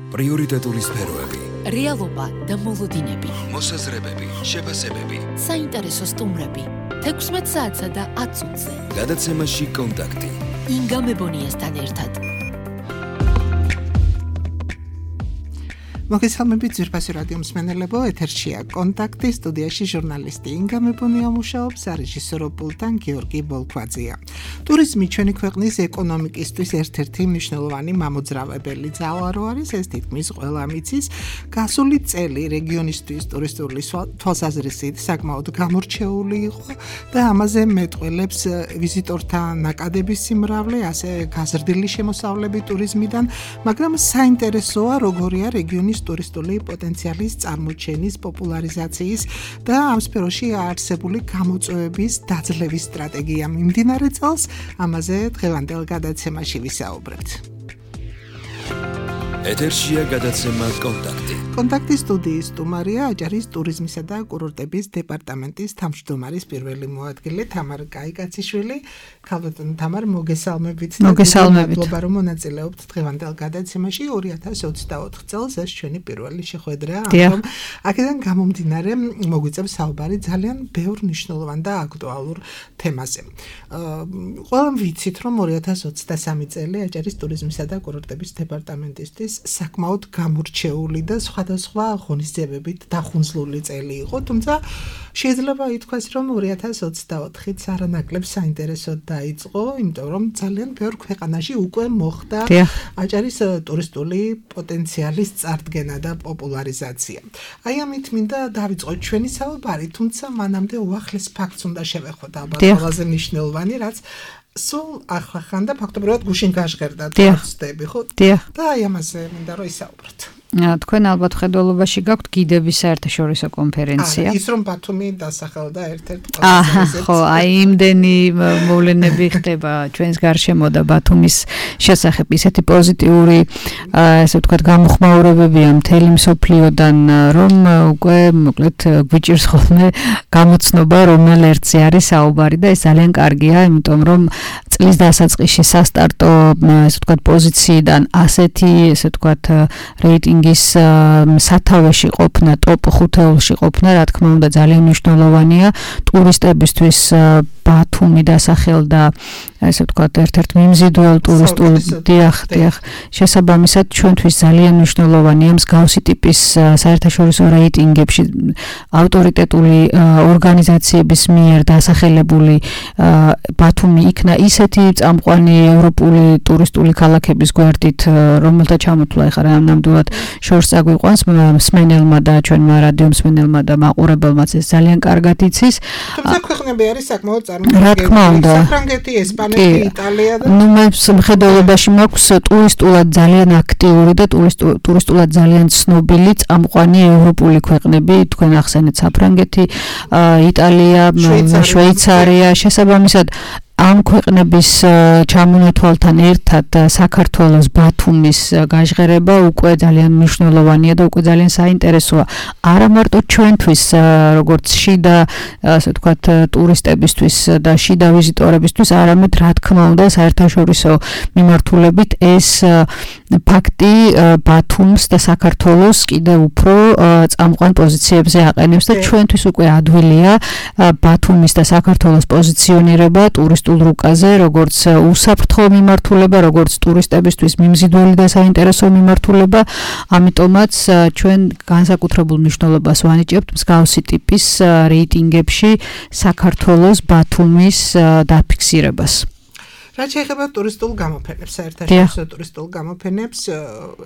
პრიორიტეტული სფეროები, რეალობა და მოლოდინები, მოსაზრებები, შეფასებები, საინტერესო სტუმრები, 16 საათსა და 10 წუთზე. გადაცემაში კონტაქტი. ინგა მებონიასთან ერთად. მოგესალმებით ძვირფასი რადიო მსმენელებო, ეთერშია კონტაქტი, სტუდიაში ჟურნალისტი ინგა მებონია მუშაობს, რეჟისორო პულტთან გიორგი ბოლქვაძეა. ტურიზმი ჩვენი ქვეყნის ეკონომიკისთვის ერთ-ერთი მნიშვნელოვანი მამოძრავებელი ძალა რო არის, ეს თითქმის ყველა მიცის. გასული წელი რეგიონისთვის ტურისტული თვალსაზრისით საკმაოდ გამორჩეული იყო და ამაზე მეტყველებს ვიზიტორთა ნაკადების სიმრავლე, ასე გაზრდილი შემოსავლები ტურიზმიდან, მაგრამ საინტერესოა როგორია რეგიონის ტურისტული პოტენციალის წარმოჩენის, პოპულარიზაციის და ამ სფეროში არსებული გამოწვევების დაძლევის სტრატეგია მიმდინარე წელს. ამაზე დღევანდელ გადაცემაში ვისაუბრებთ. ეთერშია გადაცემა კონტაქტი. კონტაქტის სტუდიის სტუმარია აჭარის ტურიზმისა და კურორტების დეპარტამენტის თავმჯდომარის პირველი მოადგილე თამარ კაიკაციშვილი. ქალბატონო თამარ, მოგესალმებით. მადლობა რომ მონაწილეობთ დღევანდელ გადაცემაში. 2024 წელს ეს ჩვენი პირველი შეხვედრაა. აქედან გამომდინარე მოგვიწევს საუბარი ძალიან ბევრ მნიშვნელოვან და აქტუალურ თემაზე. ყველამ ვიცით რომ 2023 წელი აჭარის ტურიზმისა და კურორტების დეპარტამენტისთვის საკმაოდ გამორჩეული და სხვადასხვა ღონისძიებებით დახუნძლული წელი იყო, თუმცა შეიძლება ითქვას, რომ 2024-იც არანაკლებ საინტერესოდ დაიწყო, იმიტომ რომ ძალიან ბევრ ქვეყანაში უკვე მოხდა აჭარის ტურისტული პოტენციალის წარდგენა და პოპულარიზაცია. აი ამით მინდა დავიწყოთ ჩვენი საუბარი, თუმცა მანამდე უახლეს ფაქტს უნდა შევეხოთ, ალბათ ყველაზე მნიშვნელოვანი, რაც სულ ახლა და ფაქტობრივად გუშინ გაჟღერდა ტურისტები, ხო? და აი ამაზე მინდა რომ ისაუბროთ. თქვენ ალბათ ხედველობაში გაქვთ გიდების საერთაშორისო კონფერენცია. ის რომ ბათუმი დასახელდა ერთ-ერთ ხო, აი იმდენი მოვლენები ხდება ჩვენს გარშემო და ბათუმის შესახებ ისეთი პოზიტიური, ესე ვთქვათ, გამოხმაურებებია მთელი მსოფლიოდან, რომ უკვე მოკლედ გვიჭირს ხოლმე გამოცნობა, რომელ ერთზე არის საუბარი და ეს ძალიან კარგია, იმიტომ რომ წლის დასაწყისში სასტარტო, ესე ვთქვათ, პოზიციიდან ასეთი, ესე ვთქვათ, რეიტინგის სათავეში ყოფნა, ტოპ 5-ში ყოფნა, რა თქმა უნდა, ძალიან მნიშვნელოვანია ტურისტებისთვის. ბათუმი დასახელდა, ესე ვთქვათ, ერთ-ერთ მიმზიდველ ტურისტულ შესაბამისად ჩვენთვის ძალიან მნიშვნელოვანია მსგავსი ტიპის საერთაშორისო რეიტინგებში ავტორიტეტული ორგანიზაციების მიერ დასახელებული ბათუმი იქნა ისეთი წამყვანი ევროპული ტურისტული ქალაქების გვერდით, რომელთა ჩამოთვლა ეხლა ნამდვილად შორს წაგვიყვანს მსმენელმა და ჩვენმა რადიო მსმენელმა და მაყურებელმაც ეს ძალიან კარგად იცის. თუმცა ქვეყნები არის საკმაოდ რა თქმა უნდა, საფრანგეთი, ესპანეთი, იტალია და მე მხედველობაში მაქვს ტურისტულად ძალიან აქტიური და ტურისტულად ძალიან ცნობილი წამყვანი ევროპული ქვეყნები, თქვენ ახსენეთ საფრანგეთი, იტალია, შვეიცარია, შესაბამისად ამ ქვეყნების ჩამონათვალთან ერთად საქართველოს ბათუმის გაჟღერება უკვე ძალიან მნიშვნელოვანია და უკვე ძალიან საინტერესოა. არა მარტო ჩვენთვის, როგორც შიდა, ასე ვთქვათ, ტურისტებისთვის და შიდა ვიზიტორებისთვის, არამედ რა თქმა უნდა საერთაშორისო მიმართულებით ეს ფაქტი ბათუმს და საქართველოს კიდევ უფრო წამყვან პოზიციებზე აყენებს და ჩვენთვის უკვე ადვილია ბათუმის და საქართველოს პოზიციონირება ტურისტულ რუკაზე, როგორც უსაფრთხო მიმართულება, როგორც ტურისტებისთვის მიმზიდველი და საინტერესო მიმართულება. ამიტომაც ჩვენ განსაკუთრებულ მნიშვნელობას ვანიჭებთ მსგავსი ტიპის რეიტინგებში საქართველოს ბათუმის დაფიქსირებას. რაც შეეხება ტურისტულ გამოფენებს, საერთაშორისო ტურისტულ გამოფენებს,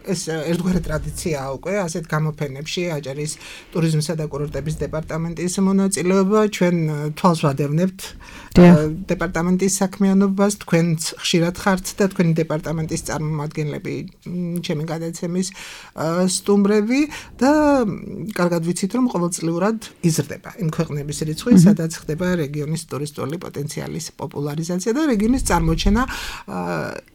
ეს ერთგვარი ტრადიციაა უკვე, ასეთ გამოფენებში აჭარის ტურიზმისა და კურორტების დეპარტამენტის მონაწილეობა, ჩვენ თვალს ვადევნებთ დეპარტამენტის საქმიანობას, თქვენც ხშირად ხართ და თქვენი დეპარტამენტის წარმომადგენლები, ჩემი გადაცემის სტუმრები და კარგად ვიცით, რომ ყოველწლიურად იზრდება იმ ქვეყნების რიცხვი, სადაც ხდება რეგიონის ტურისტული პოტენციალის პოპულარიზაცია და რეგიონის წარმოჩენა გამოაჩენა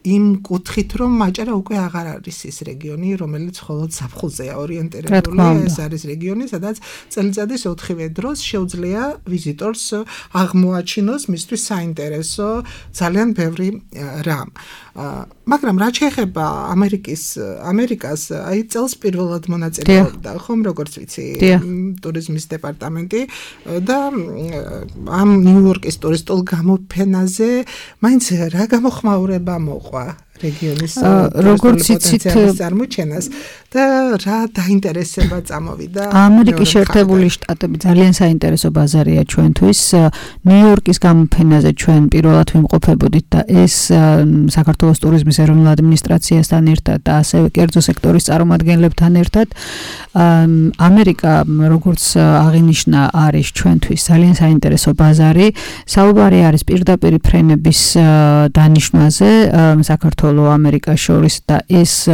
იმ კუთხით, რომ მაჭარა უკვე აღარ არის ის რეგიონი, რომელიც მხოლოდ ზაფხულზეა ორიენტირებული, ეს არის რეგიონი, სადაც წელიწადის 4-ვე დროს შეუძლია ვიზიტორს აღმოაჩინოს მისთვის საინტერესო ძალიან ბევრი რამ. მაგრამ რაც შეეხება ამერიკას, აი წელს პირველად მონაწილეობდა, ხომ როგორც ვიცი, ტურიზმის დეპარტამენტი და ამ ნიუ-იორკის ტურისტულ გამოფენაზე მაინც რა გამოხმაურება მოყვა რეგიონის როგორც იცით წარმოჩენას და რა დაინტერესება წამოვიდა ამერიკის შეერთებული შტატები ძალიან საინტერესო ბაზარია ჩვენთვის ნიუ-იორკის გამოფენაზე ჩვენ პირველად ვიმყოფებოდით და ეს საქართველოს ტურიზმის ეროვნულ ადმინისტრაციასთან ერთად და ასევე კერძო სექტორის წარმომადგენლებთან ერთად ამერიკა როგორც აღინიშნა არის ჩვენთვის ძალიან საინტერესო ბაზარი საუბარი არის პირდაპირ ფრენების დანიშვნაზე საქართველოს ამერიკას შორის და ეს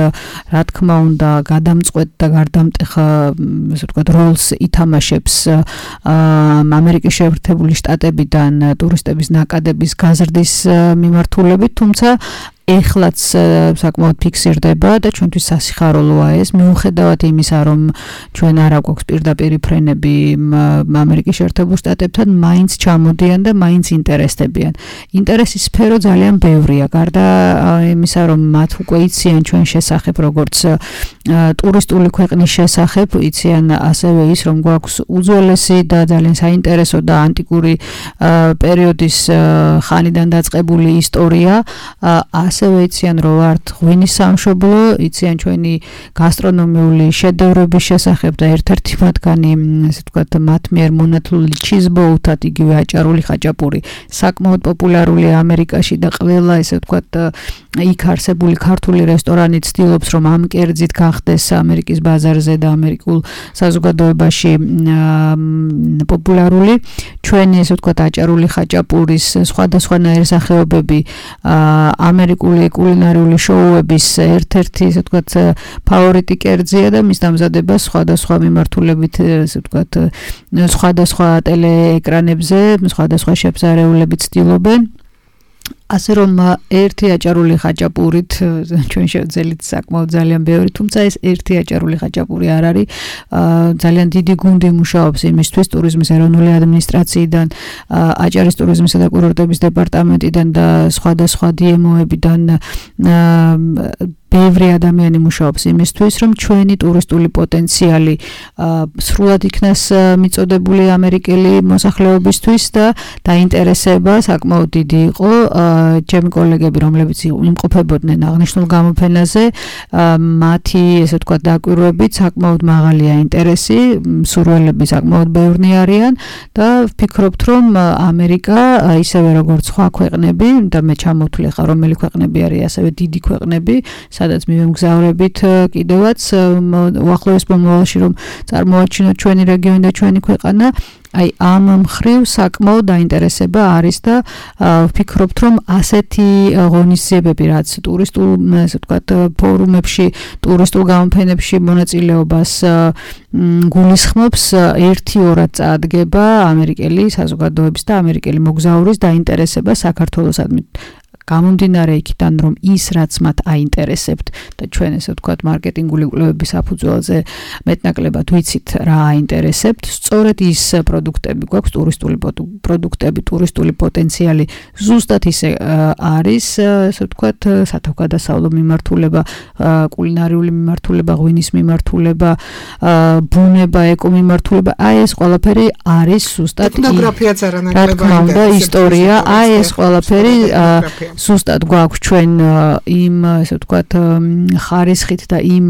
რა თქმა უნდა გადამწყვეტ და გარდამტეხ ასე ვთქვათ როლს ითამაშებს ამერიკის შეერთებული შტატებიდან ტურისტების ნაკადების გაზრდის მიმართულებით თუმცა ეხლაც საკმაოდ ფიქსირდება და ჩვენთვის სასიხარულოა ეს მიუხედავად იმისა რომ ჩვენ არ აქვს პირდაპირ ფრენები ამერიკის შეერთებულ შტატებთან მაინც ჩამოდიან და მაინც ინტერესდებიან ინტერესის სფერო ძალიან ბევრია გარდა იმისა რომ მათ უკვე იციან ჩვენ შესახებ როგორც ტურისტული ქვეყნის შესახებ იციან ასევე ის რომ გვაქვს უძველესი და ძალიან საინტერესო და ანტიკური პერიოდის ხანიდან დაწყებული ისტორია ასევე იციან რომ ვართ ღვინის სამშობლო, იციან ჩვენი გასტრონომიული შედევრების შესახებ და ერთ-ერთი მათგანი, ასე ვთქვათ, მათ მიერ მონათლული ჩიზბოუთად იგივე აჭარული ხაჭაპური საკმაოდ პოპულარულია ამერიკაში და ყველა, ასე ვთქვათ, იქ არსებული ქართული რესტორანი ცდილობს რომ ამ კერძით გახდეს ამერიკის ბაზარზე და ამერიკულ საზოგადოებაში პოპულარული. ჩვენი, ასე ვთქვათ, აჭარული ხაჭაპურის სხვადასხვანაირი სახეობები ამერიკული კულინარიული შოუების ერთ-ერთი, ასე ვთქვათ, ფავორიტი კერძია და მის დამზადებას სხვადასხვა მიმართულებით, ასე ვთქვათ, სხვადასხვა ტელეეკრანებზე, სხვადასხვა შეფსარეულებით ცდილობენ. ასე რომ ერთი აჭარული ხაჭაპურით ჩვენ შევძელით საკმაოდ ძალიან ბევრი, თუმცა ეს ერთი აჭარული ხაჭაპური არ არის. ძალიან დიდი გუნდი მუშაობს იმისთვის ტურიზმის ეროვნული ადმინისტრაციიდან, აჭარის ტურიზმისა და კურორტების დეპარტამენტიდან და სხვადასხვა DMO-ებიდან ბევრი ადამიანი მუშაობს იმისთვის, რომ ჩვენი ტურისტული პოტენციალი სრულად იქნას მიწოდებული ამერიკელი მოსახლეობისთვის და დაინტერესება საკმაოდ დიდი იყო. ჩემი კოლეგები, რომლებიც იმყოფებოდნენ აღნიშნულ გამოფენაზე, მათი, ესე ვთქვათ, დაკვირვებით საკმაოდ მაღალია ინტერესი, მსურველები საკმაოდ ბევრნი არიან და ვფიქრობთ, რომ ამერიკა ისევე როგორც სხვა ქვეყნები და მე ჩამოვთვლი ხარ, რომელი ქვეყნები არის ასევე დიდი ქვეყნები, სადაც მივემგზავრებით კიდევაც უახლოეს მომავალში რომ წარმოაჩინოთ ჩვენი რეგიონი და ჩვენი ქვეყანა აი ამ მხრივ საკმაოდ დაინტერესება არის და ვფიქრობთ რომ ასეთი ღონისძიებები რაც ტურისტულ ასე ვთქვათ ფორუმებში ტურისტულ გამოფენებში მონაწილეობას გულისხმობს 1-2 წაადგება ამერიკელი საზოგადოების და ამერიკელი მოგზაურის დაინტერესება საქართველოსადმი გამომდინარე იქიდან რომ ის რაც მათ აინტერესებთ და ჩვენ ესე ვთქვათ მარკეტინგული კვლევების საფუძველზე მეტნაკლებად ვიცით რა აინტერესებთ სწორედ ის პროდუქტები გვაქვს ტურისტული პროდუქტები ტურისტული პოტენციალი ზუსტად ისე არის ესე ვთქვათ სათავგადასავლო მიმართულება კულინარიული მიმართულება ღვინის მიმართულება ბუნება ეკო მიმართულება აი ეს ყველაფერი არის ზუსტად ეთნოგრაფიაც არანაკლებად და ისტორია აი ეს ყველაფერი ზუსტად გვაქვს ჩვენ იმ ესე ვთქვათ ხარისხით და იმ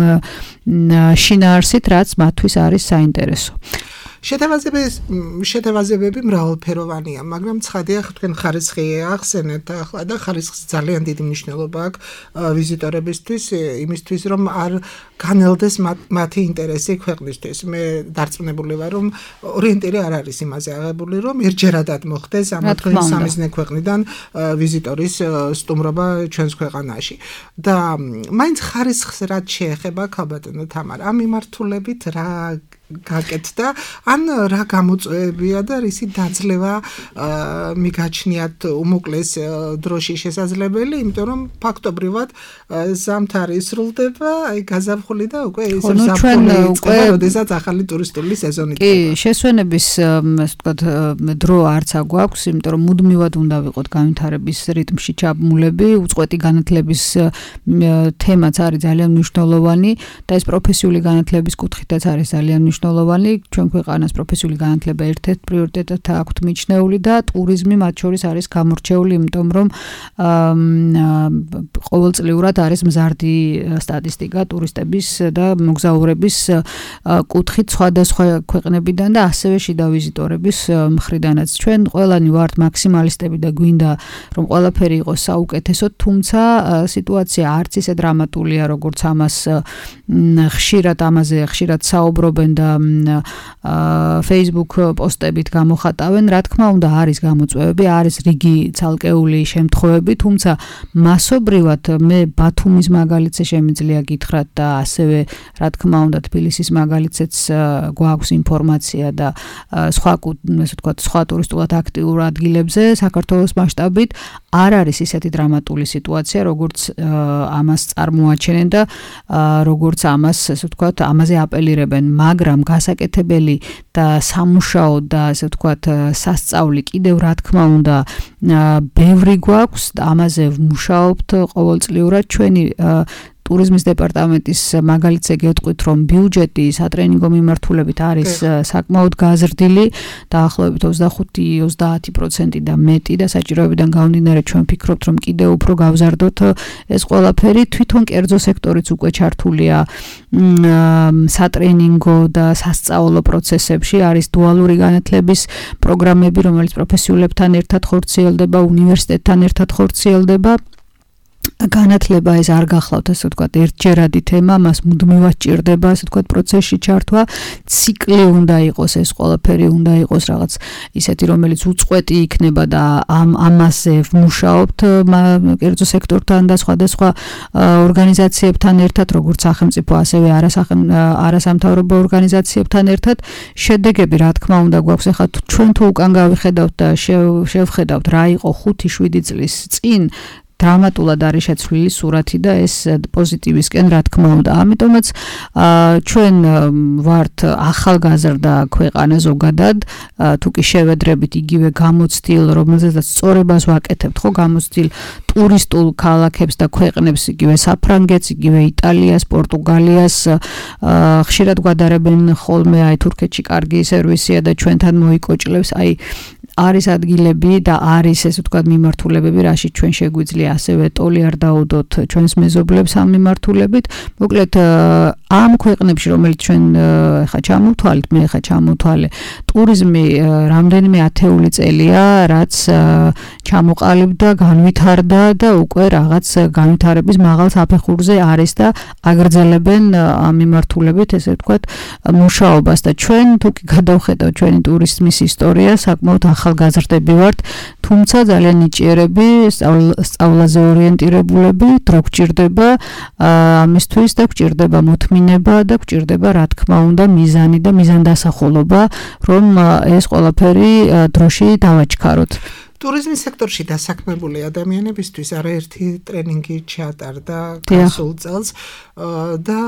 შინაარსით რაც მათთვის არის საინტერესო შეთევაზებები მრავალფეროვანია, მაგრამ ცხადია თქვენ ხარისხი ახსენეთ ახლა და ხარისხს ძალიან დიდი მნიშვნელობა აქვს ვიზიტორებისთვის, იმისთვის რომ არ განელდეს მათი ინტერესი ქვეყნისთვის. მე დარწმუნებული ვარ, რომ ორიენტირი არ არის იმაზე აღებული, რომ ერთჯერადად მოხდეს ამ თქვენი სამიზნე ქვეყნიდან ვიზიტორის სტუმრობა ჩვენს ქვეყანაში. და მაინც ხარისხს რაც შეეხება ქალბატონო თამარ, ამ მიმართულებით გაკეთდა, ან რა გამოწვევებია და რისი დაძლევა მიგაჩნიათ უმოკლეს დროში შესაძლებელი, იმიტომ რომ ფაქტობრივად ზამთარი სრულდება, აი გაზაფხული და უკვე ის ზაფხული იწყება, როდესაც ახალი ტურისტული სეზონი კი, შესვენების ასე ვთქვათ დრო არც აგვაქვს, იმიტომ რომ მუდმივად უნდა ვიყოთ განვითარების რიტმში ჩაბმულები, უწყვეტი განათლების თემაც არის ძალიან მნიშვნელოვანი და ეს პროფესიული განათლების კუთხითაც არის ძალიან მნიშვნელოვანი. ჩვენ ქვეყანას პროფესიული განათლება ერთ-ერთ პრიორიტეტად აქვთ მიჩნეული და ტურიზმი მათ შორის არის გამორჩეული, იმიტომ რომ ყოველწლიურად არის მზარდი სტატისტიკა ტურისტების და მოგზაურების კუთხით სხვადასხვა ქვეყნებიდან და ასევე შიდა ვიზიტორების მხრიდანაც. ჩვენ ყველანი ვართ მაქსიმალისტები და გვინდა რომ ყველაფერი იყოს საუკეთესო, თუმცა სიტუაცია არც ისე დრამატულია, როგორც ამაზე ხშირად საუბრობენ და Facebook პოსტებით გამოხატავენ. რა თქმა უნდა, არის გამოწვევები, არის რიგი ცალკეული შემთხვევები, თუმცა მასობრივად მე ბათუმის მაგალითზე შემიძლია გითხრათ და ასევე რა თქმა უნდა თბილისის მაგალითზეც გვაქვს ინფორმაცია და სხვა ესე ვთქვათ სხვა ტურისტულად აქტიურ ადგილებზე საქართველოს მასშტაბით არ არის ისეთი დრამატული სიტუაცია, როგორც ამას წარმოაჩენენ და როგორც ამას ესე ვთქვათ ამაზე აპელირებენ, მაგრამ გასაკეთებელი და სამუშაო და ესე ვთქვათ სასწაული კიდევ რა თქმა უნდა ბევრი გვაქვს და ამაზე ვმუშაობთ ყოველწლიურად. ჩვენი ტურიზმის დეპარტამენტის მაგალითზე გეტყვით, რომ ბიუჯეტი სატრენინგო მიმართულებით არის საკმაოდ გაზრდილი, დაახლოებით 25-30% და მეტი და საჭიროებიდან გამომდინარე ჩვენ ვფიქრობთ, რომ კიდევ უფრო გავზარდოთ ეს ყველაფერი. თვითონ კერძო სექტორიც უკვე ჩართულია სატრენინგო და სასწავლო პროცესებში, არის დუალური განათლების პროგრამები, რომელიც პროფესიულებთან ერთად ხორციელდება, უნივერსიტეტთან ერთად ხორციელდება. განათლება ეს არ გახლავთ ასე ვთქვათ ერთჯერადი თემა, მას მუდმივად ჭირდება ასე ვთქვათ პროცესში ჩართვა, ციკლი უნდა იყოს, ეს ყველაფერი უნდა იყოს რაღაც ისეთი, რომელიც უწყვეტი იქნება და ამაზე ვმუშაობთ კერძო სექტორთან და სხვადასხვა ორგანიზაციებთან ერთად, როგორც სახელმწიფო, ასევე არასამთავრობო ორგანიზაციებთან ერთად. შედეგები რა თქმა უნდა გვაქვს, ახლა ჩვენ თუ უკან გავიხედავთ და შევხედავთ რა იყო 5-7 წლის წინ დრამატულად არის შეცვლილი სურათი და ეს პოზიტივისკენ რა თქმა უნდა. ამიტომაც ჩვენ ვართ ახალგაზრდა ქვეყანა ზოგადად, თუ კი შევედრებით იგივე გამოცდილ, რომელზეც სწორებას ვაკეთებთ, ხო, გამოცდილ ტურისტულ ქალაქებს და ქვეყნებს, იგივე საფრანგეთს, იგივე იტალიას, პორტუგალიას, ხშირად გვადარებენ ხოლმე აი თურქეთში კარგი სერვისია და ჩვენთან მოიკოჭლებს, აი არის ადგილები და არის ესე ვთქვათ მიმართულებები, რაშიც ჩვენ შეგვიძლია ასევე ტოლი არ დაუდოთ ჩვენს მეზობლებს ამ მიმართულებით. მოკლედ ამ ქვეყნებში, რომელიც ჩვენ ხა ჩამოვთვალეთ, მე ხა ჩამოვთვალე, ტურიზმი რამდენიმე ათეული წელია, რაც ჩამოყალიბდა, განვითარდა და უკვე რაღაც განვითარების მაღალ საფეხურზე არის და აგრძელებენ ამ მიმართულებით ესე ვთქვათ მუშაობას და ჩვენ თუ კი გადავხედავთ ჩვენი ტურიზმის ისტორია, საკმაოდ ახალგაზრდები ვართ, თუმცა ძალიან ნიჭიერები, სწავლაზე ორიენტირებულები, დრო გვჭირდება ამისთვის და გვჭირდება მოთმინება და გვჭირდება რა თქმა უნდა მიზანი და მიზანდასახულობა, რომ ეს ყველაფერი დროში დავაჩქაროთ. ტურიზმის სექტორში დასაქმებული ადამიანებისთვის არაერთი ტრენინგი ჩატარდა გასულ წელს და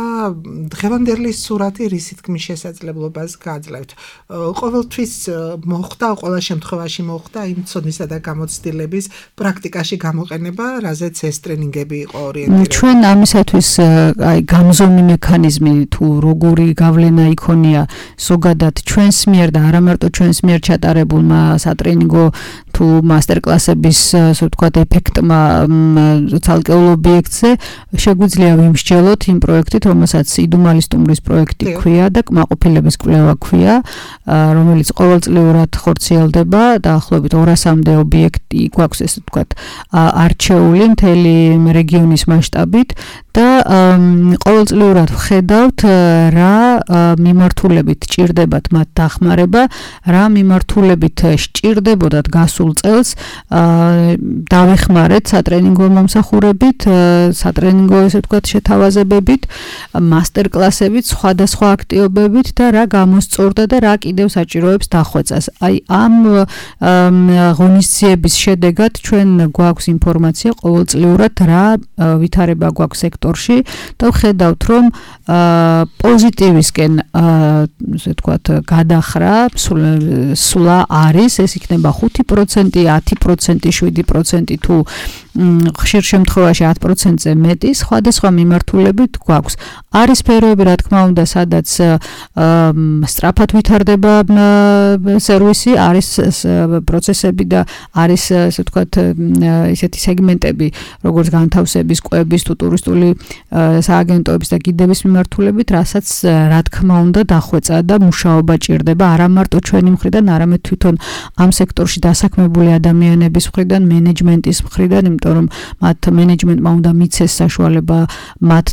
დღევანდელი სურათი რის თქმის შესაძლებლობას გაძლევთ. ყოველთვის მოხდა, ყველა შემთხვევაში მოხდა იმ ცოდნისა და გამოცდილების პრაქტიკაში გამოყენება, რაზეც ეს ტრენინგები იყო ორიენტირებული. ჩვენ ამისათვის აი გამზომი მექანიზმი თუ როგორი გავლენა იქონია ზოგადად ჩვენს მიერ და არა მარტო ჩვენს მიერ ჩატარებულმა სატრენინგო თუ მასტერკლასების ასე ვთქვათ ეფექტმა ცალკეულ ობიექტზე შეგვიძლია ვიმსჯელოთ იმ პროექტით, რომელსაც იდუმალი სტუმრის პროექტი ქვია და კმაყოფილების კვლევა ქვია, რომელიც ყოველწლიურად ხორციელდება, დაახლოებით 200-მდე ობიექტი გვაქვს ესე ვთქვათ არჩეული მთელი რეგიონის მასშტაბით და ყოველწლიურად ვხედავთ რა მიმართულებით ჭირდებათ მათ დახმარება, რა მიმართულებით სჭირდებოდათ გასულ წელს წელს დავეხმარეთ სატრენინგო მომსახურებით, სატრენინგო ესე ვთქვათ შეთავაზებებით, მასტერკლასებით, სხვადასხვა აქტივობებით და რა გამოსწორდა და რა კიდევ საჭიროებს დახვეწას. აი ამ ღონისძიების შედეგად ჩვენ გვაქვს ინფორმაცია ყოველწლიურად რა ვითარება გვაქვს სექტორში და ვხედავთ რომ პოზიტივისკენ ესე ვთქვათ გადახრა სულა არის, ეს იქნება 5%, 10%, 7% თუ ხშირ შემთხვევაში 10%-ზე მეტი, სხვადასხვა მიმართულებით გვაქვს. არის სფეროები, რა თქმა უნდა, სადაც სწრაფად ვითარდება სერვისი, არის პროცესები და არის ესე ვთქვათ ისეთი სეგმენტები, როგორც განთავსების, კვების თუ ტურისტული სააგენტოების და გიდების მიმართულებით, რასაც რა თქმა უნდა დახვეწა და მუშაობა ჭირდება არა მარტო ჩვენი მხრიდან, არამედ თვითონ ამ სექტორში დასაქმებული ადამიანების მხრიდან, მენეჯმენტის მხრიდან, იმიტომ რომ მათ მენეჯმენტმა უნდა მიცეს საშუალება მათ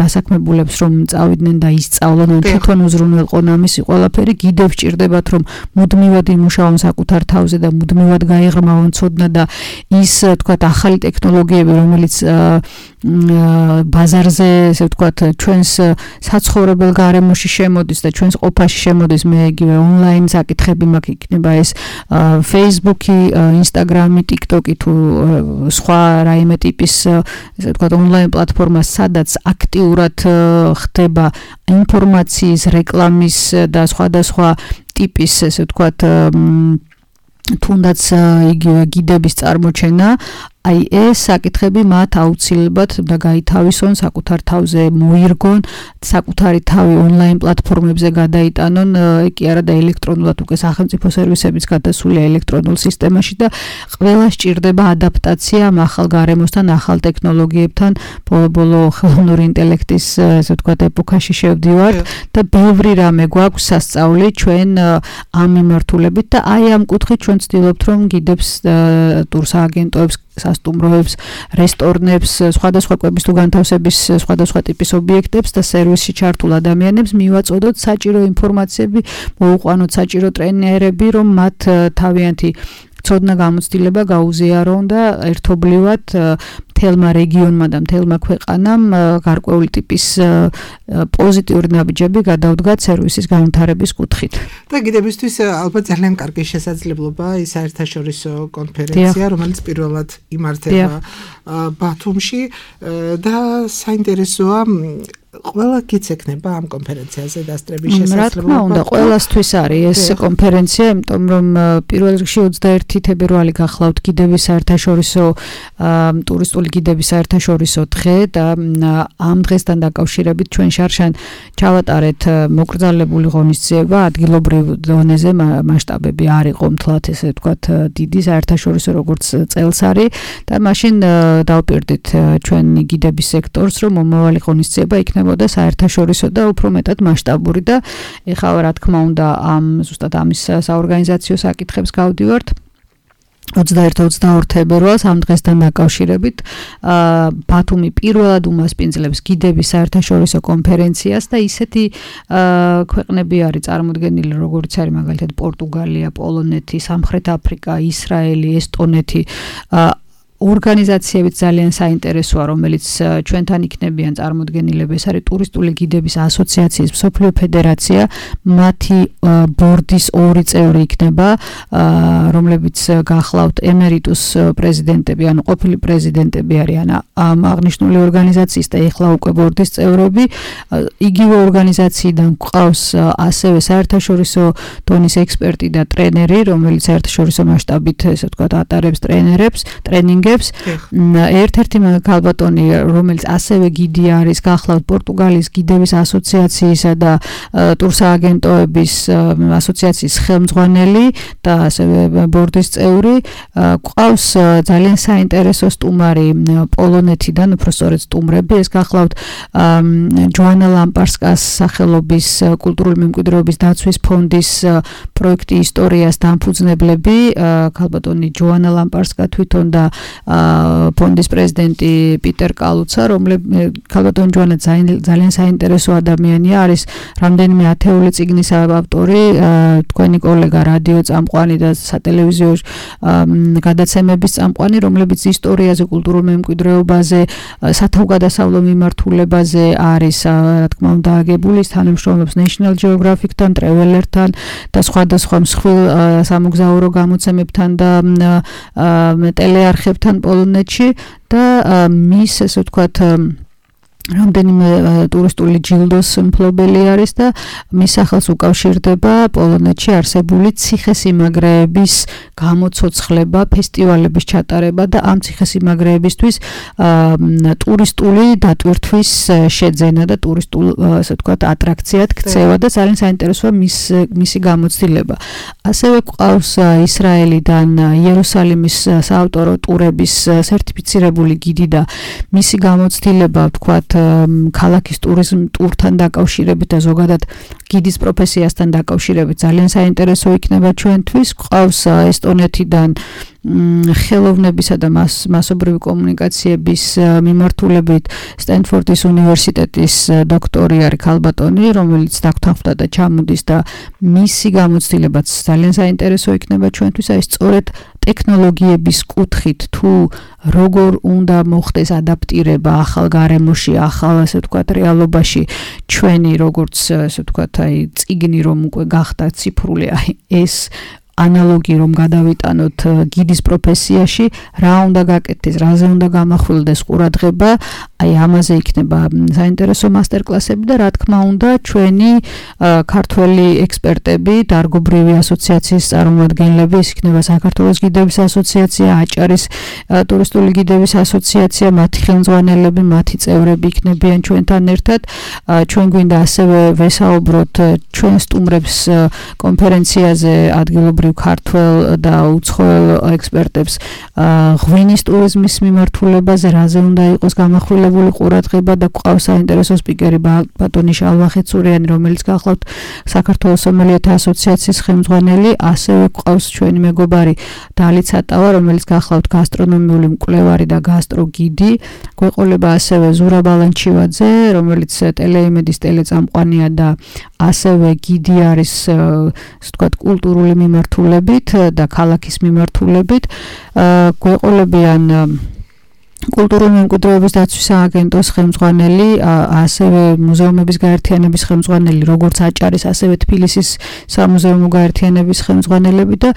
დასაქმებულებს რომ წავიდნენ და ისწავლონ, თვითონ უზრუნველყონ ამისი ყველაფერი, გიდებს ჭირდებათ რომ მუდმივად იმუშაონ საკუთარ თავზე და მუდმივად გაეღრმავონ ცოდნა და ის თქვათ ახალი ტექნოლოგიები, რომელიც ბაზარზე ესე ვთქვათ ჩვენს საცხოვრებელ გარემოში შემოდის და ჩვენს ყოფაში შემოდის, მე იგივე ონლაინ საკითხები მაქვს, იქნება ეს Facebook-ი, Instagram-ი, TikTok-ი თუ სხვა რაიმე ტიპის ესე ვთქვათ ონლაინ პლატფორმა, სადაც აქტიურად ხდება ინფორმაციის, რეკლამის და სხვადასხვა ტიპის ესე ვთქვათ თუნდაც იგივე გიდების წარმოჩენა, აი ეს საკითხები მათ აუცილებლად და გაითავისონ, საკუთარ თავზე მოირგონ, საკუთარი თავი ონლაინ პლატფორმებზე გადაიტანონ, კი არა და ელექტრონულად უკვე სახელმწიფო სერვისებიც გადასულია ელექტრონულ სისტემაში და ყველა სჭირდება ადაპტაცია ამ ახალ გარემოსთან, ახალ ტექნოლოგიებთან, ბოლო ხელოვნური ინტელექტის ესე ვთქვათ ეპოქაში შევდივართ და ბევრი რამე გვაქვს სასწაული ჩვენ ამ მიმართულებით და აი ამ კუთხით ჩვენ ვცდილობთ რომ გიდებს ტურსააგენტოებს, სასტუმროებს, რესტორნებს, სხვადასხვა კვების თუ განთავსების სხვადასხვა ტიპის ობიექტებს და სერვისში ჩართულ ადამიანებს მივაწოდოთ საჭირო ინფორმაციები, მოუყვანოთ საჭირო ტრენერები, რომ მათ თავიანთი ცოდნა გამოცდილება გაუზიარონ და ერთობლივად მთელმა რეგიონმა და მთელმა ქვეყანამ გარკვეული ტიპის პოზიტიური ნაბიჯები გადავდგათ სერვისის განვითარების კუთხით. და გიდებისთვის ალბათ ძალიან კარგი შესაძლებლობა ის საერთაშორისო კონფერენცია, რომელიც პირველად იმართება ბათუმში და საინტერესოა ყველა გიცექნება ამ კონფერენციაზე დასწრების შესაძლებლობა. რა თქმა უნდა, ყველასთვის არის ეს კონფერენცია, იმიტომ რომ პირველ რიგში 21 თებერვალი გახლავთ გიდების საერთაშორისო ტურისტული გიდების საერთაშორისო დღე და ამ დღესთან დაკავშირებით ჩვენ შარშან ჩავატარეთ მოკრძალებული ღონისძიება, ადგილობრივ დონეზე მასშტაბები არ იყო მთლად ესე ვთქვათ დიდი საერთაშორისო როგორც წელს არის და მაშინ დავპირდით ჩვენ გიდების სექტორს, რომ მომავალი ღონისძიება იქნებოდა საერთაშორისო და უფრო მეტად მასშტაბური და ეხლა რა თქმა უნდა ამ ზუსტად ამის საორგანიზაციო საკითხებს გავდივართ 21-22 თებერვალს ამ დღესთან დაკავშირებით ბათუმი პირველად უმასპინძლებს გიდების საერთაშორისო კონფერენციას და ისეთი ქვეყნები არის წარმოდგენილი, როგორც არის მაგალითად პორტუგალია, პოლონეთი, სამხრეთ აფრიკა, ისრაელი, ესტონეთი, ორგანიზაციებიც ძალიან საინტერესოა, რომელიც ჩვენთან იქნებიან წარმოდგენილები, ეს არის ტურისტული გიდების ასოციაციის მსოფლიო ფედერაცია, მათი ბორდის 2 წევრი იქნება, რომლებიც გახლავთ ემერიტუს პრეზიდენტები, ანუ ყოფილი პრეზიდენტები არიან ამ აღნიშნული ორგანიზაციის და ეხლა უკვე ბორდის წევრები. იგივე ორგანიზაციიდან გვყავს ასევე საერთაშორისო დონის ექსპერტი და ტრენერი, რომელიც საერთაშორისო მასშტაბით ესე ვთქვათ ატარებს ტრენინგებს. ერთ-ერთი ქალბატონი, რომელიც ასევე გიდი არის, გახლავთ პორტუგალიის გიდების ასოციაციისა და ტურსააგენტოების ასოციაციის ხელმძღვანელი და ასევე ბორდის წევრი. გვყავს ძალიან საინტერესო სტუმარი პოლონეთიდან, უფრო სწორედ სტუმრები, ეს გახლავთ ჯოანა ლამპარსკას სახელობის კულტურული მემკვიდრეობის დაცვის ფონდის პროექტი ისტორიას დამფუძნებლები, ქალბატონი ჯოანა ლამპარსკა თვითონ და ფონდის პრეზიდენტი პიტერ კალუცა, რომელიც ქალბატონ ჯოანა ძალიან საინტერესო ადამიანია, არის რამდენიმე ათეული წიგნის ავტორი, თქვენი კოლეგა რადიო წამყვანი და სატელევიზიო გადაცემების წამყვანი, რომლებიც ისტორიაზე, კულტურულ მემკვიდრეობაზე, სათავგადასავლო მიმართულებაზე არის, რა თქმა უნდა, აგებული, თანამშრომლობს National Geographic-თან, Traveler-თან და სხვადასხვა მსხვილ სამოგზაურო გამოცემებთან და ტელეარხებთან პოლონეთში და მის, ესე ვთქვათ, რამდენიმე ტურისტული ჯილდოს მფლობელი არის და მის სახელს უკავშირდება პოლონეთში არსებული ციხესიმაგრეების გამოცოცხლება, ფესტივალების ჩატარება და ამ ციხესიმაგრეებისთვის ტურისტული დატვირთვის შეძენა და ტურისტულ, ასე ვთქვათ, ატრაქციად ქცევა და ძალიან საინტერესოა მისი გამოცდილება. ასევე გვყავს ისრაელიდან იერუსალიმის საავტორო ტურების სერტიფიცირებული გიდი და მისი გამოცდილება, ვთქვათ, ქალაქის ტურთან დაკავშირებით და ზოგადად გიდის პროფესიასთან დაკავშირებით ძალიან საინტერესო იქნება ჩვენთვის. გვყავს ესტონეთიდან ხელოვნებისა და მასობრივი კომუნიკაციების მიმართულებით სტენფორდის უნივერსიტეტის დოქტორი არის ქალბატონი, რომელიც დაგთანხმდა და ჩამოდის და მისი გამოცდილებაც ძალიან საინტერესო იქნება ჩვენთვის. აი სწორედ ტექნოლოგიების კუთხით თუ როგორ უნდა მოხდეს ადაპტირება ახალ გარემოში, ახალ, ასე ვთქვათ, რეალობაში ჩვენი როგორც, ასე ვთქვათ, აი წიგნი რომ უკვე გახდა ციფრული, აი ეს ანალოგი რომ გადავიტანოთ გიდის პროფესიაში, რა უნდა გაკეთდეს, რაზე უნდა გამახვილდეს ყურადღება, აი ამაზე იქნება საინტერესო მასტერკლასები და რა თქმა უნდა ჩვენი ქართველი ექსპერტები, დარგობრივი ასოციაციის წარმომადგენლები, ეს იქნება საქართველოს გიდების ასოციაცია, აჭარის ტურისტული გიდების ასოციაცია, მათი ხელმძღვანელები, მათი წევრები იქნებიან ჩვენთან ერთად. ჩვენ გვინდა ასევე ვესაუბროთ ჩვენ სტუმრებს კონფერენციაზე ადგილობრივ ქართველ და უცხოელ ექსპერტებს ღვინის ტურიზმის მიმართულებაზე, რაზე უნდა იყოს გამახვილებული ყურადღება და გვყავს საინტერესო სპიკერი ბატონი შალვა ხეცურიანი, რომელიც გახლავთ საქართველოს სომელიეთა ასოციაციის ხელმძღვანელი, ასევე გვყავს ჩვენი მეგობარი დალი ცატავა, რომელიც გახლავთ გასტრონომიული მკვლევარი და გასტროგიდი. გვეყოლება ასევე ზურაბ ალანჩივაძე, რომელიც ტელეიმედის ტელეწამყვანია და ასევე გიდი არის, ვთქვათ, კულტურული მიმართულებით და ქალაქის მიმართულებით. გვეყოლებიან კულტურული მემკვიდრეობის დაცვის სააგენტოს ხელმძღვანელი, ასევე მუზეუმების გაერთიანების ხელმძღვანელი, როგორც აჭარის, ასევე თბილისის სამუზეუმო გაერთიანების ხელმძღვანელები და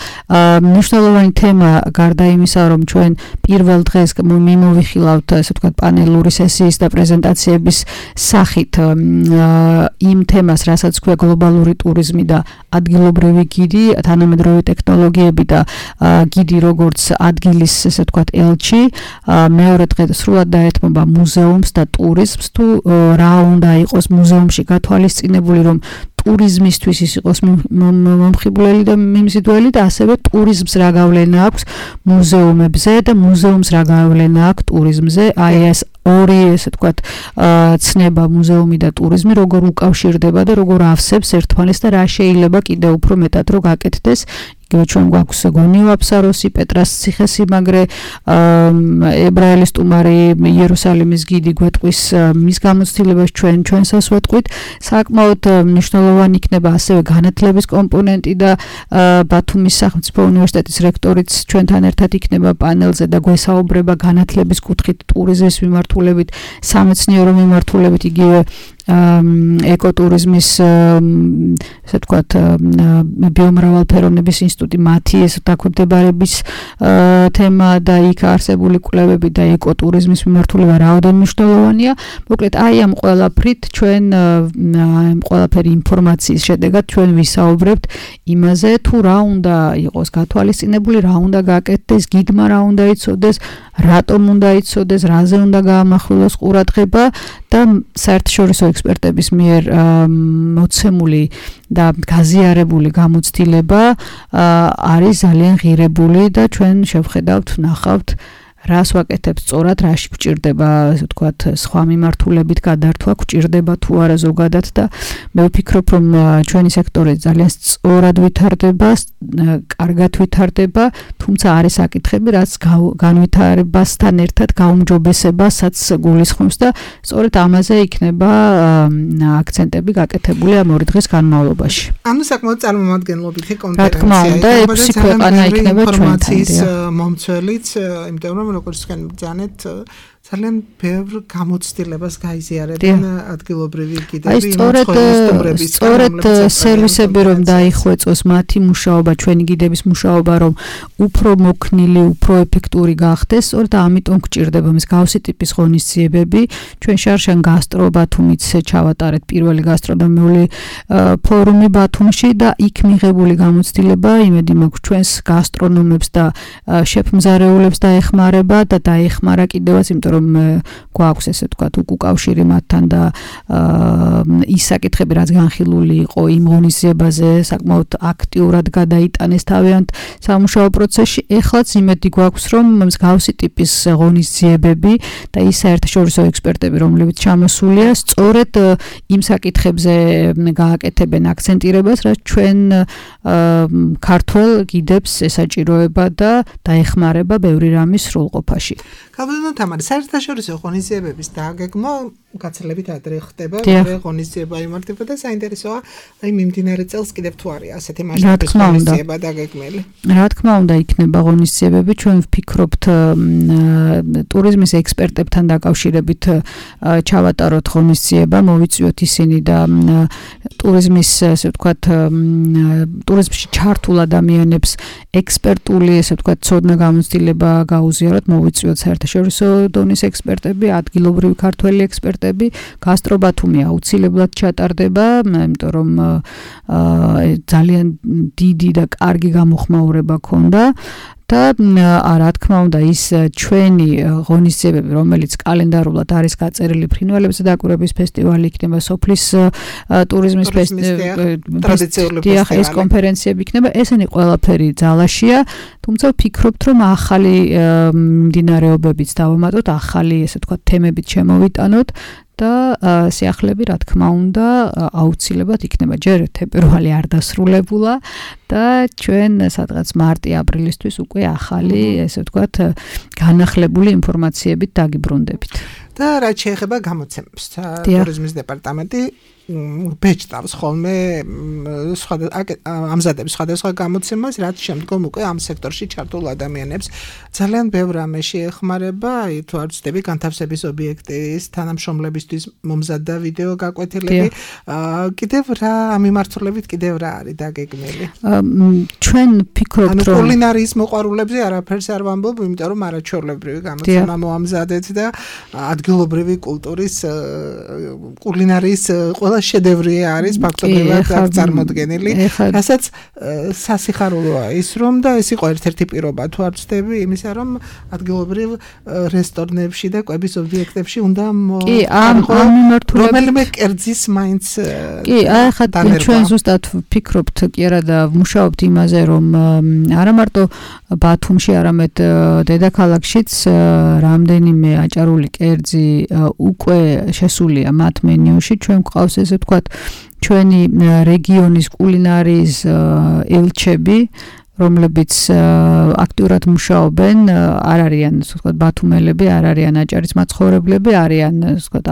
მნიშვნელოვანი თემა გარდა იმისა, რომ ჩვენ პირველ დღეს მიმოვიხილავთ, ასე ვთქვათ, პანელური სესიის და პრეზენტაციების სახით იმ თემას, რასაც ქვია გლობალური ტურიზმი და ადგილობრივი გიდი, თანამედროვე ტექნოლოგიები და გიდი როგორც ადგილის, ესე ვთქვათ, ელჩი, მეორე დღე სრულად დაეთმობა მუზეუმს და ტურიზმს, თუ რა უნდა იყოს მუზეუმში გათვალისწინებული, რომ ტურიზმისთვის ის იყოს მომხიბვლელი და მიმზიდველი და ასევე ტურიზმს რა გავლენა აქვს მუზეუმებზე და მუზეუმს რა გავლენა აქვს ტურიზმზე. აი ეს ორი, ესე ვთქვათ, ცნება მუზეუმი და ტურიზმი როგორ უკავშირდება და როგორ ავსებს ერთმანეთს და რა შეიძლება კიდევ უფრო მეტად რო გაკეთდეს. იგივე ჩვენ გვაქვს გონიო აფსაროსი, პეტრას ციხესიმაგრე, ებრაელის სტუმარი, იერუსალიმის გიდი გვეტყვის მის გამოცდილებას ჩვენსაც ვეტყვით. საკმაოდ მნიშვნელოვანი იქნება ასევე განათლების კომპონენტი და ბათუმის სახელმწიფო უნივერსიტეტის რექტორიც ჩვენთან ერთად იქნება პანელზე და გვესაუბრება განათლების კუთხით ტურიზმის მიმართულებით, სამეცნიერო მიმართულებით, იგივე ეკოტურიზმის, ესე ვთქვათ, ბიომრავალფეროვნების ინსტიტუტი, მათი ეს დაქვემდებარების თემა და იქ არსებული კვლევები და ეკოტურიზმის მიმართულება რაოდენ მნიშვნელოვანია. მოკლედ, აი ამ ყველაფრით ჩვენ ამ ყველაფერი ინფორმაციის შედეგად ჩვენ ვისაუბრებთ იმაზე, თუ რა უნდა იყოს გათვალისწინებული, რა უნდა გაკეთდეს, გიდმა რა უნდა იცოდეს, რატომ უნდა იცოდეს, რაზე უნდა გაამახვილოს ყურადღება და საერთაშორისო ექსპერტების მიერ მოცემული და გაზიარებული გამოცდილება არის ძალიან ღირებული და ჩვენ შევხედავთ, ვნახავთ რას ვაკეთებ სწორად, რაში გვჭირდება, ასე ვთქვათ, სხვა მიმართულებით გადართვა გვჭირდება თუ არა ზოგადად და მე ვფიქრობ, რომ ჩვენი სექტორი ძალიან სწორად ვითარდება, კარგად ვითარდება, თუმცა არის საკითხები, რაც განვითარებასთან ერთად გაუმჯობესებასაც გულისხმობს და სწორედ ამაზე იქნება აქცენტები გაკეთებული ამ 2 დღის განმავლობაში. ანუ საკმაოდ წარმომადგენლობითი კონფერენცია. რა თქმა უნდა, 6 ქვეყანა იქნება ჩვენთან. მომცველიც, იმიტომ რომ როგორც თქვენ ბრძანეთ, ძალიან ბევრ გამოცდილებას გაიზიარებენ ადგილობრივი კიდევი მოწყობილების სწორედ სერვისები რომ დაიხვეწოს მათი მუშაობა, ჩვენი გიდების მუშაობა რომ უფრო მოქნილი, უფრო ეფექტური გახდეს, სწორედ ამიტომ გვჭირდება მსგავსი ტიპის ღონისძიებები. ჩვენ შარშან გასტრო ბათუმით ჩავატარეთ პირველი გასტრონომიული ფორუმი ბათუმში და იქ მიღებული გამოცდილება იმედი მაქვს ჩვენს გასტრონომებს და შეფმზარეულებს დაეხმარება და დაეხმარა კიდევაც, იმიტომ რომ გვაქვს ესე ვთქვათ უკავშირი მათთან და ის საკითხები რაც განხილული იყო იმ ღონისძიებაზე საკმაოდ აქტიურად გადაიტანეს თავიანთ სამუშაო პროცესში. ეხლაც იმედი გვაქვს რომ მსგავსი ტიპის ღონისძიებები და ის საერთაშორისო ექსპერტები რომლებიც ჩამოსულია სწორედ იმ საკითხებზე გააკეთებენ აქცენტირებას, რაც ჩვენ ქართველ გიდებს ესაჭიროება და დაეხმარება ბევრი რამის სრულყოფაში. გაბედო თამარი, საერთაშორისო ღონისძიებების დაგეგმა გაცილებით ადრე ხდება, მეორე ღონისძიება იმართება და საინტერესოა, აი მიმდინარე წელს კიდევ თუ არის ასეთი მასშტაბის ღონისძიება დაგეგმილი. რა თქმა უნდა, იქნება ღონისძიებები, ჩვენ ვფიქრობთ ტურიზმის ექსპერტებთან დაკავშირებით ჩავატაროთ ღონისძიება, მოვიწვიოთ ისინი და ტურიზმის, ასე ვთქვათ, ტურიზმში ჩართულ ადამიანებს ექსპერტული, ასე ვთქვათ, ცოდნა გამოცდილება გაუზიაროთ, მოვიწვიოთ საერთაშორისო დონის ექსპერტები, ადგილობრივი ქართველი ექსპერტები, გასტრობათუმი აუცილებლად ჩატარდება, იმიტომ რომ ძალიან დიდი და კარგი გამოხმაურება ქონდა და რა თქმა უნდა ის ჩვენი ღონისძიებები, რომელიც კალენდარულად არის გაწერილი ფრინველებზე დაკვირვების ფესტივალი იქნება, სოფლის ტურიზმის ტრადიციული ფესტივალი, ეს კონფერენციები იქნება, ესენი ყველაფერი ძალაშია, თუმცა ვფიქრობთ, რომ ახალი მიმდინარეობებიც დავამატოთ, ახალი, ესე ვთქვათ, თემებით შემოვიტანოთ და სიახლეები რა თქმა უნდა აუცილებლად იქნება. ჯერ თებერვალი არ დასრულებულა და ჩვენ სადღაც მარტი-აპრილისთვის უკვე ახალი, ესე ვთქვათ, განახლებული ინფორმაციებით დაგიბრუნდებით. და რაც შეეხება გამოცემებს, ტურიზმის დეპარტამენტი ბეჭდავს ხოლმე ამზადებს სხვადასხვა გამოცემას, რაც შემდგომ უკვე ამ სექტორში ჩართულ ადამიანებს ძალიან ბევრ რამეში ეხმარება, აი თუ არ ვცდები განთავსების ობიექტის თანამშრომლებისთვის მომზადდა ვიდეო გაკვეთილები, კიდევ რა ამ მიმართულებით კიდევ რა არის დაგეგმილი? ჩვენ ვფიქრობთ, რომ კულინარიის მოყვარულებზე არაფერს არ ვამბობ, იმიტომ რომ არაჩვეულებრივი გამოცემა მოამზადეთ და ადგილობრივი კულტურის კულინარიის შედევრი არის ფაქტობრივად წარმოდგენილი, რასაც სასიხარულოა ის რომ და ეს იყო ერთ-ერთი პირობა თუ არ ვცდები იმისა რომ ადგილობრივ რესტორნებში და კვების ობიექტებში უნდა კი ამ მიმართულებით რომელიმე კერძის მაინც კი ახლა ჩვენ ზუსტად ვფიქრობთ კი არა და ვმუშაობთ იმაზე რომ არა მარტო ბათუმში არამედ დედაქალაქშიც რამდენიმე აჭარული კერძი უკვე შესულია მათ მენიუში, ჩვენ გვყავს ესე ვთქვათ ჩვენი რეგიონის კულინარიის ელჩები, რომლებიც აქტიურად მუშაობენ, არ არიან, ასე ვთქვათ, ბათუმელები, არ არიან აჭარის მაცხოვრებლები, არიან, ასე ვთქვათ,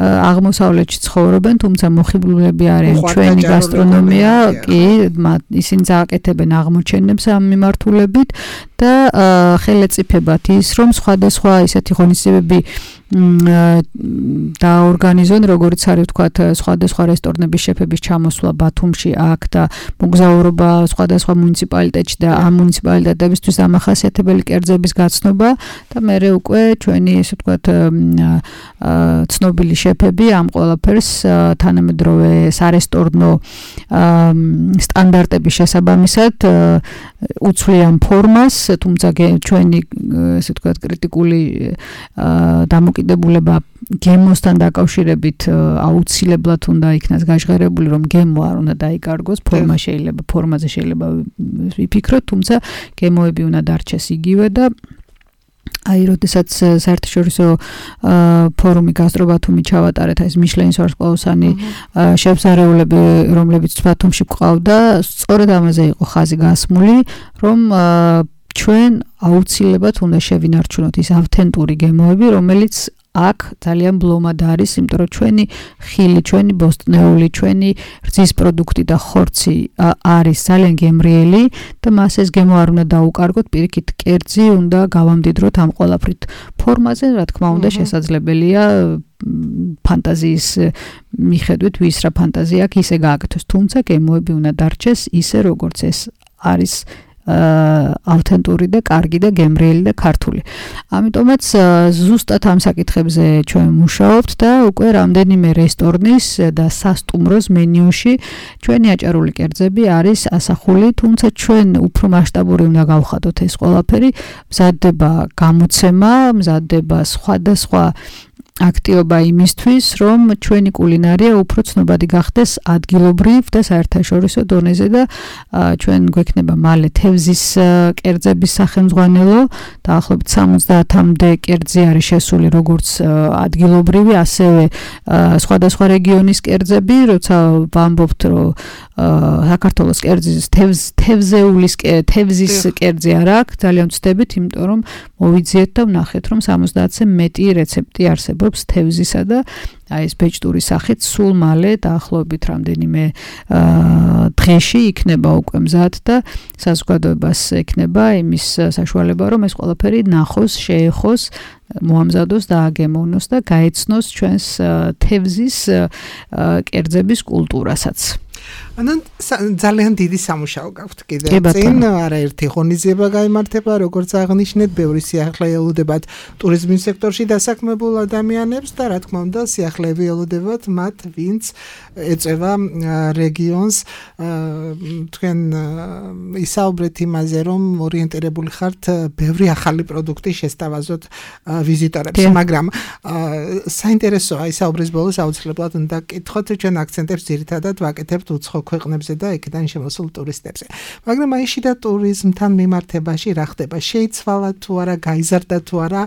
აღმოსავლეთში ცხოვრობენ, თუმცა მოხიბლულები არიან ჩვენი გასტრონომია, კი, ისინი წააკეთებენ აღმოჩენებს ამ მიმართულებით და ხელეწიფებათ ის, რომ სხვადასხვა ისეთი ღონისძიებები დაორგანიზონ, როგორც არის ვთქვათ, სხვადასხვა რესტორნების შეფების ჩამოსვლა ბათუმში აქ და მოგზაურობა სხვადასხვა მუნიციპალიტეტში და ამ მუნიციპალიტეტებისთვის დამახასიათებელი კერძების გაცნობა და მერე უკვე ჩვენი, ესე ვთქვათ, ცნობილი შეფები ამ ყველაფერს თანამედროვე სარესტორნო სტანდარტების შესაბამისად უცვლიან ფორმას, თუმცა ჩვენი, ესე ვთქვათ, კრიტიკული დამოკიდებულება გემოსთან დაკავშირებით აუცილებლად უნდა იქნას გაჟღერებული, რომ გემო არ უნდა დაიკარგოს, ფორმაზე შეიძლება ვიფიქროთ, თუმცა გემოები უნდა დარჩეს იგივე და აი, როდესაც საერთაშორისო ფორუმი გასტრობათუმი ჩავატარეთ, ეს მიშლენის ვარსკვლავსანი შევზარეულები, რომლებიც ბათუმში გვყავდა, სწორედ ამაზე იყო ხაზი გასმული, რომ ჩვენ აუცილებლად უნდა შევინარჩუნოთ ის ავთენტური გემოები, რომელიც აქ ძალიან ბლომად არის, იმიტომ რომ ჩვენი ხილი, ჩვენი ბოსტნეული, ჩვენი რძის პროდუქტი და ხორცი არის ძალიან გემრიელი და მას ეს გემო არ უნდა დაუკარგოთ, პირიქით კერძი უნდა გავამდიდროთ ამ ყველაფრით. ფორმაზე, რა თქმა უნდა, შესაძლებელია ფანტაზიის მიხედვით, ვის რა ფანტაზია აქვს, ისე გააკეთოს, თუმცა გემოები უნდა დარჩეს ისე, როგორც ეს არის ავთენტური და კარგი და გემრიელი და ქართული. ამიტომაც ზუსტად ამ საკითხებზე ჩვენ მუშაობთ და უკვე რამდენიმე რესტორნის და სასტუმროს მენიუში ჩვენი აჭარული კერძები არის ასახული, თუმცა ჩვენ უფრო მასშტაბური უნდა გავხადოთ ეს ყველაფერი, მზადდება გამოცემა, მზადდება სხვადასხვა აქტიობა იმისთვის, რომ ჩვენი კულინარია უფრო ცნობადი გახდეს ადგილობრივ და საერთაშორისო დონეზე და ჩვენ გვექნება მალე თევზის კერძების სახელმძღვანელო, დაახლოებით 70-მდე კერძი არის შესული როგორც ადგილობრივი, ასევე სხვადასხვა რეგიონის კერძები, როცა ვამბობთ, რომ საქართველოს კერძის თევზის კერძი არ აქვს, ძალიან ვცდებით, იმიტომ რომ მოვიძიეთ და ვნახეთ, რომ 70-ზე მეტი რეცეპტი არსებობს თევზისა და აი ეს ბეჭდური სახით სულ მალე დაახლოებით რამდენიმე დღეში იქნება უკვე მზად და საზოგადოებას ექნება იმის საშუალება, რომ ეს ყველაფერი ნახოს, შეეხოს, მოამზადოს და აგემოვნოს და გაეცნოს ჩვენს თევზის კერძების კულტურასაც. ანუ ძალიან დიდი სამუშაო გაქვთ კიდევ წინ, არაერთი ღონისძიება გაიმართება, როგორც აღნიშნეთ, ბევრი სიახლე ელოდებათ ტურიზმის სექტორში დასაქმებულ ადამიანებს და რა თქმა უნდა, სიახლეები ელოდებათ მათ, ვინც ეწევა რეგიონს. თქვენ ისაუბრეთ იმაზე, რომ ორიენტირებული ხართ ბევრი ახალი პროდუქტი შესთავაზოთ ვიზიტორებს, მაგრამ საინტერესოა ისაუბრის ბოლოს აუცილებლად უნდა გკითხოთ, ჩვენ აქცენტებს ძირითადად ვაკეთებთ უცხო ქვეყნებზე და იქიდან შემოსულ ტურისტებზე. მაგრამ აი შიდა ტურიზმთან მიმართებაში რა ხდება? შეიცვალა თუ არა, გაიზარდა თუ არა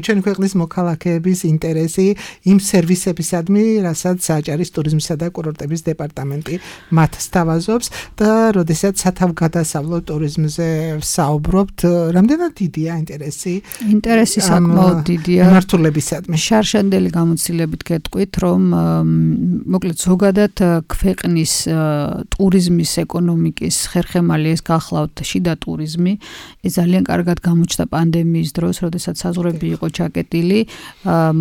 ჩვენი ქვეყნის მოქალაქეების ინტერესი იმ სერვისებისადმი, რასაც სააჭარის ტურიზმისა და კურორტების დეპარტამენტი მათ სთავაზობს და როდესაც სათავგადასავლო ტურიზმზე საუბრობთ, რამდენად დიდია ინტერესი? ინტერესი საკმაოდ დიდია. მმართველებისადმი. შარშანდელი გამოცდილებით გეტყვით, რომ მოკლედ ზოგადად ქვეყნის ტურიზმის ეკონომიკის ხერხემალი ეს გახლავთ შიდა ტურიზმი. ეს ძალიან კარგად გამოჩნდა პანდემიის დროს, როდესაც საზღვრები იყო ჩაკეტილი,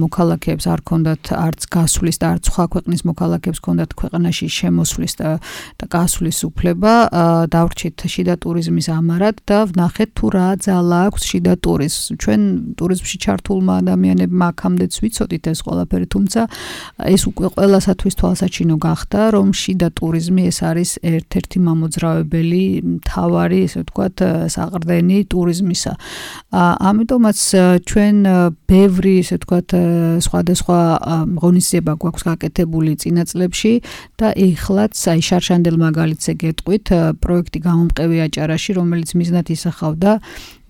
მოქალაქეებს არ ჰქონდათ არც გასვლის და არც სხვა ქვეყნის მოქალაქეებს ჰქონდათ ქვეყანაში შემოსვლის და გასვლის უფლება. დავრჩით შიდა ტურიზმის ამარად და ვნახეთ თუ რა ძალა აქვს შიდა ტურიზმს. ჩვენ ტურიზმში ჩართულმა ადამიანებმა აქამდეც ვიცოდით ეს ყველაფერი, თუმცა ეს უკვე ყველასათვის თვალსაჩინო გახდა, რომ შიდა ტურიზმი ეს არის ერთ-ერთი მამოძრავებელი, მთავარი, ესე ვთქვათ, საყრდენი ტურიზმისა. ამიტომაც ჩვენ ბევრი, ესე ვთქვათ, სხვადასხვა ღონისძიება გვაქვს გაკეთებული წინა წლებში და ეხლაც აი შარშანდელ მაგალითზე გეტყვით, პროექტი გამომყევი აჭარაში, რომელიც მიზნად ისახავდა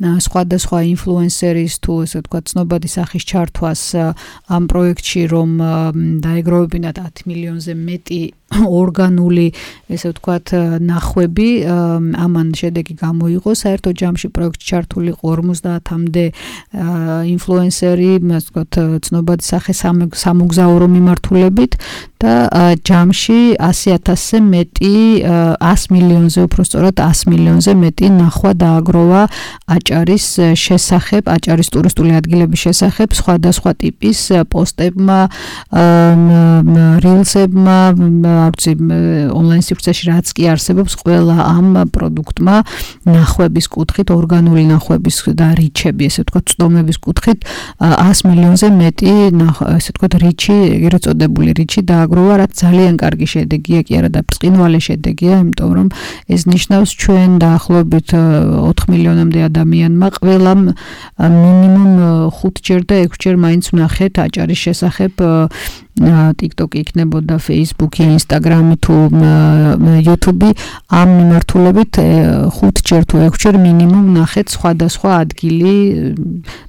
სხვადასხვა ინფლუენსერის თუ ესე ვთქვათ ცნობადი სახის ჩართვას ამ პროექტში, რომ დაეგროვებინათ 10 მილიონზე მეტი ორგანული, ესე ვთქვათ, ნახვები, ამან შედეგი გამოიღო. საერთო ჯამში პროექტში ჩართული იყო 50-მდე ინფლუენსერი, ასე ვთქვათ, ცნობადი სახე სამოგზაურო მიმართულებით და ჯამში 100,000-ზე მეტი, 100 მილიონზე უფრო სწორად 100 მილიონზე მეტი ნახვა დააგროვა აჭარის შესახებ, აჭარის ტურისტული ადგილების შესახებ სხვადასხვა ტიპის პოსტებმა, რილსებმა, ონლაინ სივრცეში რაც კი არსებობს, ყველა ამ პროდუქტმა ნახვების კუთხით, ორგანული ნახვების და რიჩები, ესე ვთქვათ, წვდომების კუთხით 100 მილიონზე მეტი, ესე ვთქვათ, რიჩი, ეგრეთ წოდებული რიჩი დააგროვა, რაც ძალიან კარგი შედეგია, კი არა და ბრწყინვალე შედეგია, იმიტომ რომ ეს ნიშნავს ჩვენ დაახლოებით 4 მილიონამდე ადამიანმა ყველამ მინიმუმ 5 ჯერ და 6 ჯერ მაინც ვნახეთ აჭარის შესახებ TikTok-ი იქნებოდა, Facebook-ი, Instagram-ი თუ YouTube-ი, ამ მიმართულებით 5-ჯერ თუ 6-ჯერ მინიმუმ ნახეთ სხვადასხვა ადგილი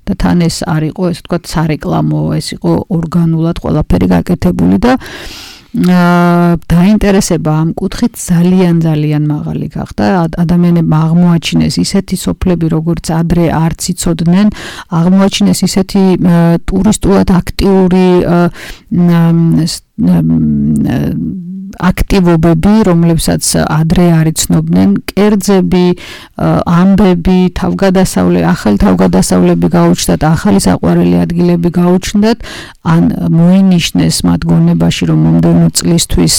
და თან ეს არ იყო, ესე ვთქვათ, სარეკლამო, ეს იყო ორგანულად ყველაფერი გაკეთებული და დაინტერესება ამ კუთხით ძალიან მაღალი გახდა. ადამიანებმა აღმოაჩინეს ისეთი სოფლები, როგორც ადრე არც იცოდნენ, აღმოაჩინეს ისეთი ტურისტულად აქტიური აქტივობები, რომლებსაც ადრე არ იცნობდნენ, კერძები, ამბები, ახალი თავგადასავლები გაუჩნდათ, ახალი საყვარელი ადგილები გაუჩნდათ, ან მოინიშნეს მათ გონებაში, რომ მომდევნო წლისთვის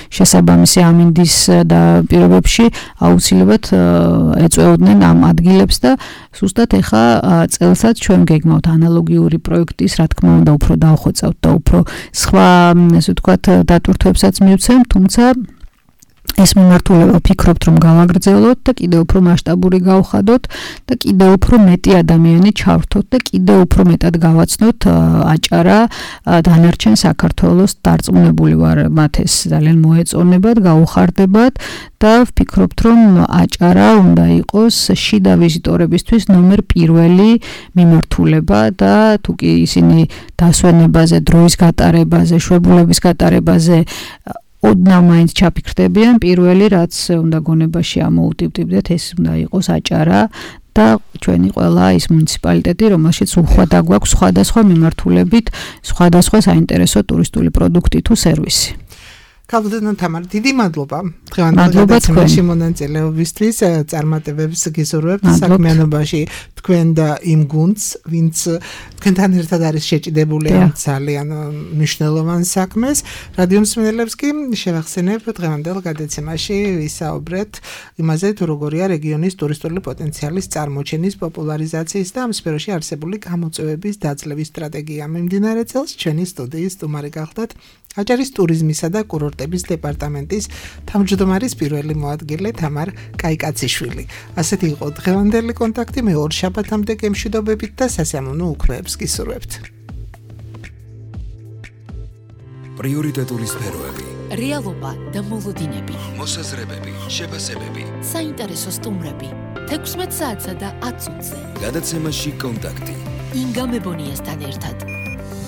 შესაბამისი ამინდის და პირობებში აუცილებლად ეწეოდნენ ამ ადგილებს და ზუსტად ეხა წელსაც ჩვენ გეგმავთ ანალოგიური პროექტის, რა თქმა უნდა, უფრო დავხვეწავთ და უფრო სხვა, ესე ვთქვათ, დატვირთვებსაც მივცემ, თუმცა ეს მიმართულება ვფიქრობთ, რომ გავაგრძელოთ და კიდევ უფრო მასშტაბური გავხადოთ და კიდევ უფრო მეტი ადამიანი ჩავრთოთ და კიდევ უფრო მეტად გავაცნოთ აჭარა დანარჩენ საქართველოს. დარწმუნებული ვარ, მათ ეს ძალიან მოეწონებათ, გაუხარდებათ და ვფიქრობთ, რომ აჭარა უნდა იყოს შიდა ვიზიტორებისთვის ნომერ პირველი მიმართულება და თუ კი ისინი დასვენებაზე, დროის გატარებაზე, შვებულების გატარებაზე ოდნავ მაინც ჩაფიქრდებიან, პირველი რაც უნდა გონებაში ამოუტივტივდეთ, ეს უნდა იყოს აჭარა და ჩვენი ყველა ის მუნიციპალიტეტი, რომელშიც უხვად აგვაქვს სხვადასხვა მიმართულებით, სხვადასხვა საინტერესო ტურისტული პროდუქტი თუ სერვისი. ქალბატონო თამარ, დიდი მადლობა დღევანდელ მონაწილეობისთვის, წარმატებებს გისურვებთ საქმიანობაში თქვენ და იმ გუნდს, ვინც თქვენთან ერთად არის შეჭიდებული ამ ძალიან მნიშვნელოვან საქმეს. რადიო მსმენელებს კი შევახსენებ, დღევანდელ გადაცემაში ვისაუბრეთ იმაზე, თუ როგორია რეგიონის ტურისტული პოტენციალის წარმოჩენის, პოპულარიზაციის და ამ სფეროში არსებული გამოწვევების დაძლევის სტრატეგია. მიმდინარე წელს ჩვენი სტუდიის სტუმარი გახდათ აჭარის ტურიზმისა და კურორტების დეპარტამენტის თავმჯდომარის პირველი მოადგილე თამარ კაიკაციშვილი. ასეთი იყო დღევანდელი კონტაქტი, მე ორ შაბათამდე გემშვიდობებით და სასიამოვნო უქმეებს გისურვებთ. პრიორიტეტული სფეროები, რეალობა და მოლოდინები, მოსაზრებები, შეფასებები, საინტერესო სტუმრები, 16 საათსა და 10 წუთზე. გადაცემაში კონტაქტი. ინგა მებონიასთან ერთად.